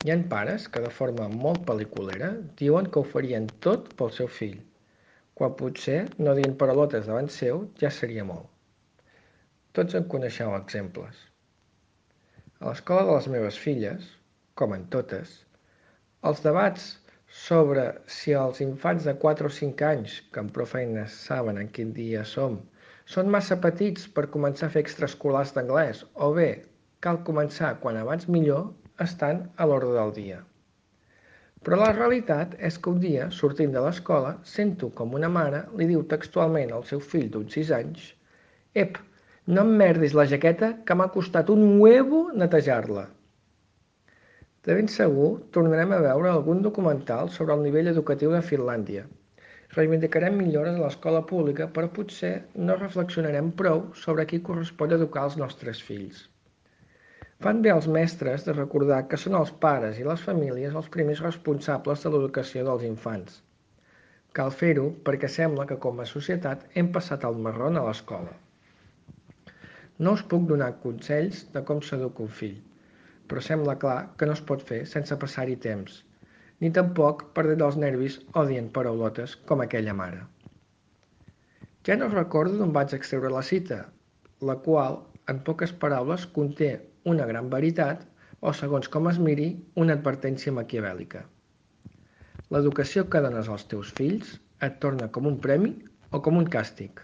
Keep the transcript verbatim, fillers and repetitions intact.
Hi ha pares que, de forma molt pel·liculera, diuen que ho farien tot pel seu fill, quan potser no dient paraulotes davant seu ja seria molt. Tots en coneixeu exemples. A l'escola de les meves filles, com en totes, els debats sobre si els infants de quatre o cinc anys, que amb prou feines saben en quin dia som, són massa petits per començar a fer extraescolars d'anglès o bé cal començar quan abans millor, estan a l'ordre del dia. Però la realitat és que un dia, sortint de l'escola, sento com una mare li diu textualment al seu fill d'uns sis anys: «Ep, no em merdis la jaqueta que m'ha costat un huevo netejar-la». De ben segur tornarem a veure algun documental sobre el nivell educatiu de Finlàndia. Reivindicarem millores a l'escola pública, però potser no reflexionarem prou sobre a qui correspon educar els nostres fills. Fan bé els mestres de recordar que són els pares i les famílies els primers responsables de l'educació dels infants. Cal fer-ho perquè sembla que com a societat hem passat el marrón a l'escola. No us puc donar consells de com s'educa un fill, però sembla clar que no es pot fer sense passar-hi temps, ni tampoc perdent els nervis o dient paraulotes com aquella mare. Ja no recordo d'on vaig extreure la cita, la qual, en poques paraules, conté una gran veritat o, segons com es miri, una advertència maquiavèlica. L'educació que dones als teus fills et torna com un premi o com un càstig.